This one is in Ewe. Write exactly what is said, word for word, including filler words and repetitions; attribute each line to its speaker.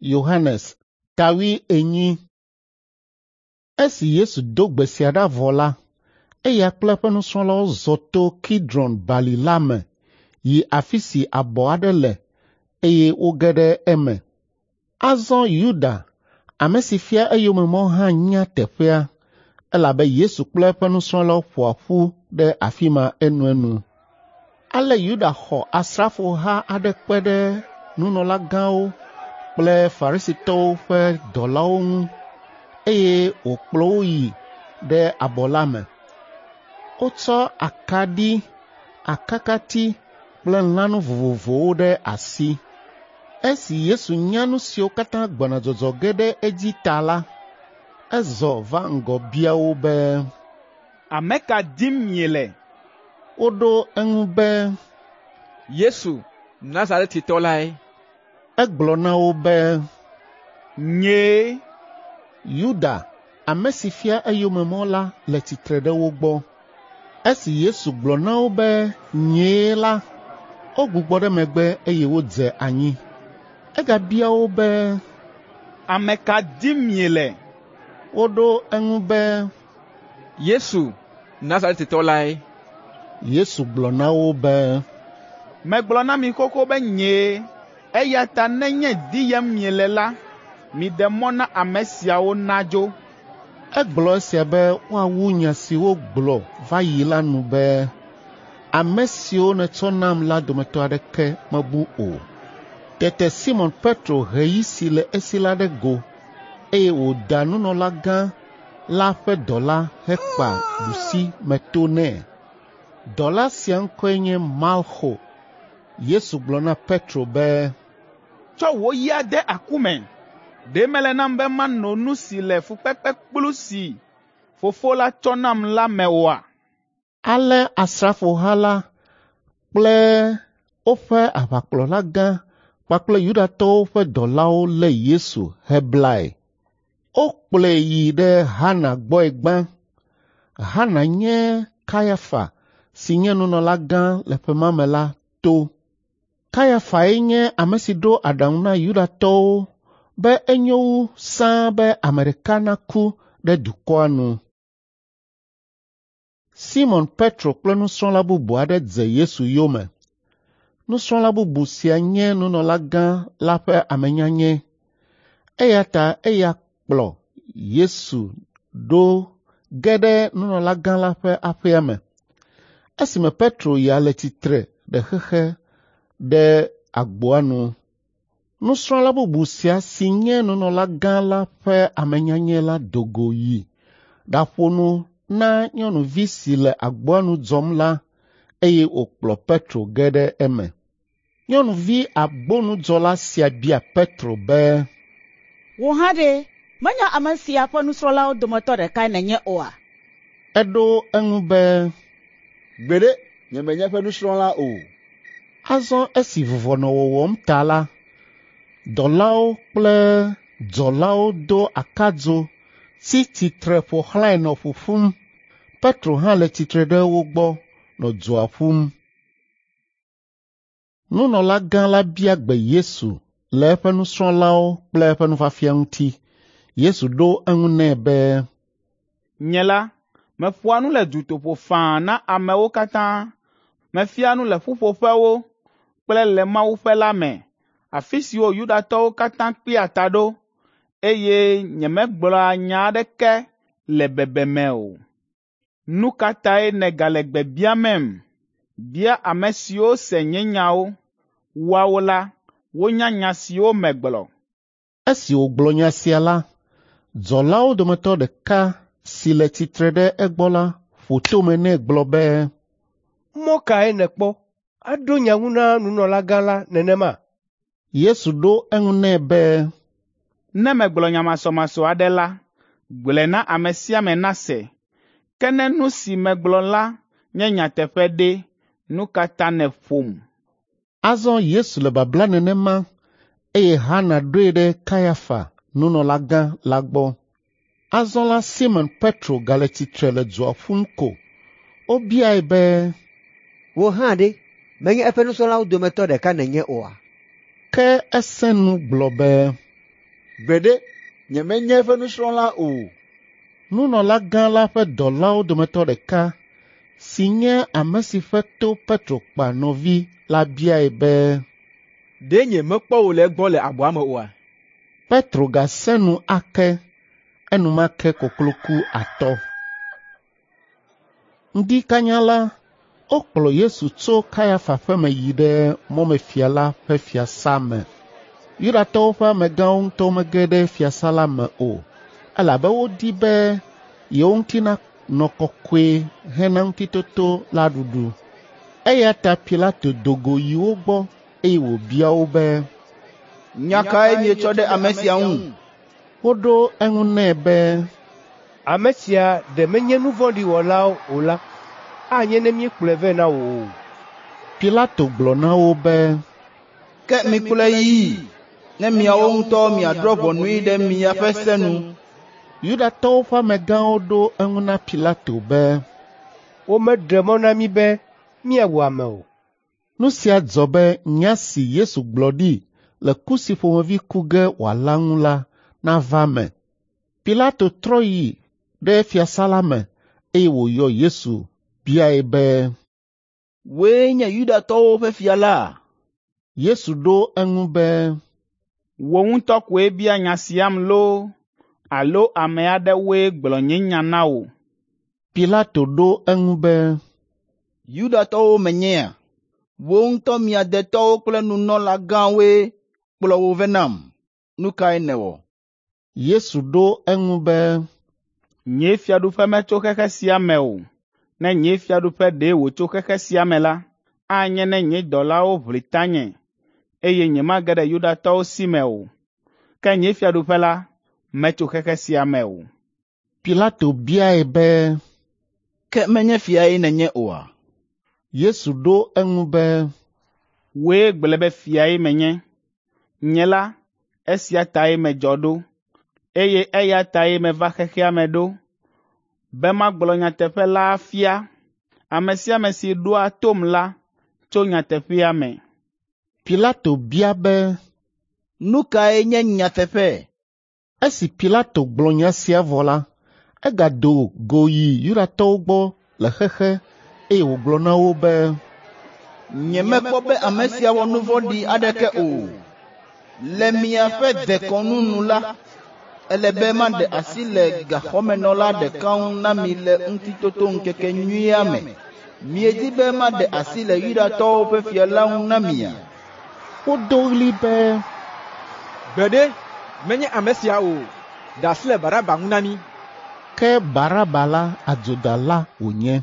Speaker 1: Yohanes ta wuienyi. Esi Yesu do gbe sia ɖa vɔ la, eya kple eƒe nusrɔ̃lawo zɔ to Kidron bali la me yi afi si abɔ aɖe le eye woge ɖe eme. Azɔ Yuda, ame si fia eyome mɔ hã nya teƒea elabe Yesu kple eƒe nusrɔ̃lawo ƒoa ƒu ɖe afi ma enuenu. Ale Yuda xɔ asrafoha aɖe kpe ɖe nunɔlagãwo kple Farisitɔwo ƒe dɔlawo ŋu eye wòkplɔ wo yi ɖe abɔ la me. Wotsɔ akaɖi, akakati kple lãnu vovovowo ɖe asi. Esi Yesu nya nu siwo katã gbɔna dzɔdzɔ ge ɖe edzi ta la, ezɔ va ŋgɔ bia wo be,
Speaker 2: “Ame ka dim miele?”
Speaker 1: Woɖo eŋu be,
Speaker 3: “Yesu, Nazaretitɔ lae.”
Speaker 1: Egblɔ na wo be,
Speaker 2: “Nyee.”
Speaker 1: Yuda, ame si fia eyome mɔ la le tsitre ɖe wo gbɔ. Esi Yesu gblɔ na wo be nyee la, wogbugbɔ ɖe megbe eye wodze anyi. Egabia wo be,
Speaker 2: “Ame ka dim miele?”
Speaker 1: Woɖo eŋu be,
Speaker 3: “Yesu, Nazaretitɔ lae.”
Speaker 1: Yesu gblɔ na wo be,
Speaker 2: “Megblɔ na mi xoxo be nyee, eya ta nenye diyem miele la, miɖe mɔ na ame siawo nadzo.”
Speaker 1: Egblɔ esia be woawu nya si wogblɔ va yi la nu be, “Ame siwo nètsɔ nam la dometɔ aɖeke mebu o.” Tete Simɔn Petro he yi si le esi la ɖe go, eye wòda nunɔlagã la ƒe dɔla hekpa ɖusimeto nɛ. Dɔla sia ŋkɔe nye Malxo. Yesu gblɔ na Petro be,
Speaker 2: “Tsɔ wò yia de aku me. Ɖe mele nam be mano nu si le fukpekpekplu si Fofo la tsɔ nam la me oa?”
Speaker 1: Ale asrafoha la kple woƒe aʋakplɔlagã kpakple Yudatɔwo ƒe dɔlawo lé Yesu heblae. Wokplɔe yi ɖe Hana gbɔe gbã. Hana nye Kayafa si nye nunɔlagã le ƒe ma me la to. Kayafae nye ame si ɖo aɖaŋu na Yudatɔwo be enyo wu sãa be ame ɖeka naku ɖe dukɔa nu. Simɔn Petro kple nusrɔ̃la bubu aɖe dze Yesu yome. Nusrɔ̃la bubu sia nye nunɔlagã la ƒe amenyanyɛ eya ta eya kplɔ Yesu ɖo ge ɖe nunɔlagã la ƒe aƒea me. Esime Petro ya le tsitre ɖe xexe ɖe agboa nu. Nusrɔ̃la bubu sia si nye nunɔlagã la ƒe amenyanyɛ la do go yi ɖaƒo nu na nyɔnuvi si le agboa nu dzɔm la eye wòkplɔ Petro ge ɖe eme. Nyɔnuvi agbonudzɔla sia bia Petro be,
Speaker 4: “Wò hã ɖe, menye ame sia ƒe nusrɔ̃lawo dometɔ ɖekae nènye oa?”
Speaker 1: Eɖo eŋu be,
Speaker 5: “Gbeɖe, nyemenye eƒe nusrɔ̃la o.”
Speaker 1: Azɔ esi vuvɔ nɔ wɔwɔm ta la, dɔlawo kple dzɔlawo do akadzo tsi tsitre ƒo xlãe nɔ ƒuƒum. Petro hã le tsitre ɖe wo gbɔ nɔ dzoa ƒum. Nunɔlagã la bia gbe Yesu le eƒe nusrɔ̃lawo kple eƒe nufiafia ŋuti. Yesu ɖo eŋu nɛ be,
Speaker 2: “Nye la, meƒoa nu le dutoƒo faa na amewo katã. Mefia nu le ƒuƒoƒewo kple le mawuƒe la me, afi siwo Yudatɔwo katã kpea ta ɖo, eye nyemegblɔa nya aɖeke le bebeme o. Nu ka tae nègale gbe biamem? Bia ame siwo se nye nyawo. Woawo la, wonya nya siwo megblɔ.”
Speaker 1: Esi wògblɔ nya sia la, dzɔlawo dometɔ ɖeka si le tsitre ɖe egbɔ la ƒo tome nɛ gblɔ be,
Speaker 6: “Mɔ kae nèkpɔ aɖo nya ŋu na nunɔlagã la nenema?”
Speaker 1: Yesu ɖo eŋu nɛ be,
Speaker 2: “Ne megblɔ nya masɔmasɔ aɖe la, gblɔe na ame sia ame nase. Ke ne nu si megblɔ la nye nyateƒe ɖe, nu ka ta nèƒom?”
Speaker 1: Azɔ Yesu le babla nenema eye Hana ɖoe ɖe Kayafa, nunɔlagã la gbɔ. Azɔ la Simɔn Petro gale tsitre le dzoa ƒum ko. Wobiae be,
Speaker 7: “Wò hã ɖe, menye eƒe nusrɔ̃lawo dometɔ ɖeka nènye oa?”
Speaker 1: Ke esẽ nu gblɔ be,
Speaker 5: Gbeɖe, nyemenye eƒe nusrɔ̃la o.
Speaker 1: Nunɔlagã la ƒe dɔlawo dometɔ ɖeka si nye ame si ƒe to Petro kpa nɔvi la biae be,
Speaker 3: Ɖe nyemekpɔ wò le egbɔ le abɔa me oa?”
Speaker 1: Petro gasẽ nu ake, enumake koklo ku atɔ. Ŋdi kanya la, wokplɔ Yesu tso Kayafa ƒe me yi ɖe mɔmefia la ƒe fiasã me. Yudatɔwo ƒe amegãwo ŋutɔ mege ɖe fiasã la me o, elabe wodi be yewo ŋuti nanɔ kɔkɔe hena ŋutitoto la ɖuɖu. Eya ta Pilato do go yi wo gbɔ eye wòbia wo be,
Speaker 8: “Nya kae mietsɔ ɖe ame sia ŋu?”
Speaker 1: Woɖo eŋu nɛ be,
Speaker 6: Ame sia ɖe menye nu vɔ̃ɖi wɔla o la, anye ne míekplɔe vɛ na wò o.”
Speaker 1: Pilato gblɔ na wo be,
Speaker 8: “Ke mikplɔe yii ne miawo ŋutɔ miadrɔ̃ ʋɔnui ɖe miaƒe se nu.”
Speaker 1: Yudatɔwo ƒe amegãwo ɖo eŋu na Pilato be,
Speaker 6: “Womeɖe mɔ na mí be míawu ame o.”
Speaker 1: Nu sia dzɔ be nya si Yesu gblɔ ɖi le ku si ƒomevi ku ge wòala ŋu la nava eme. Pilato trɔ yi ɖe fiasã la me eye wòyɔ Yesu biae be,
Speaker 8: “Wòe nye Yudatɔwo ƒe fia la?”
Speaker 1: Yesu ɖo eŋu be,
Speaker 2: “Wò ŋutɔ koe bia nya siam loo alo ame aɖewoe gblɔ nye nya na wò?”
Speaker 1: Pilato ɖo eŋu be,
Speaker 8: “Yudatɔwo menyea? Wò ŋutɔ mia detɔwo kple nunɔlagãwoe kplɔ wò vɛ nam. Nu kae nèwɔ?”
Speaker 1: Yesu ɖo eŋu be,
Speaker 2: “Nye fiaɖuƒe metso xexe sia me o. Ne nye fiaɖuƒe ɖe wòtso xexe sia me la, anye ne nye dɔlawo ʋli tanye, eye nyemage ɖe Yudatɔwo si me o. Ke nye fiaɖuƒe la metso xexe sia me o.”
Speaker 1: Pilato biae be,
Speaker 8: “Ke menye fiae nènye oa?”
Speaker 1: Yesu ɖo eŋu be,
Speaker 2: “Wòe gblɔe be fiae menye. Nye la, esia tae medzɔ ɖo, eye eya tae meva xexea me ɖo, be magblɔ nyateƒe la afia. Ame sia ame si ɖoa tom la tso nyateƒea me.”
Speaker 1: Pilato bia be,
Speaker 8: “Nu kae nye nyateƒe?”
Speaker 1: Esi Pilato gblɔ nya sia vɔ la, egado go yi Yudatɔwo gbɔ le xexe eye wògblɔ na wo be,
Speaker 8: “Nyemekpɔ be ame sia wɔ nu vɔ̃ɖi aɖeke o. Le miaƒe dekɔnu nu la, ele be maɖe asi le gaxɔmenɔla ɖeka ŋu na mi le Ŋutitotoŋkekenyuia me. Miedi be maɖe asi le Yudatɔwo ƒe fia la ŋu na mia?”
Speaker 1: Wodo ɣli be,
Speaker 3: Gbeɖe, menye ame sia o! Ɖe asi le Baraba ŋu na mí!”
Speaker 1: Ke Baraba la adzodala wònye.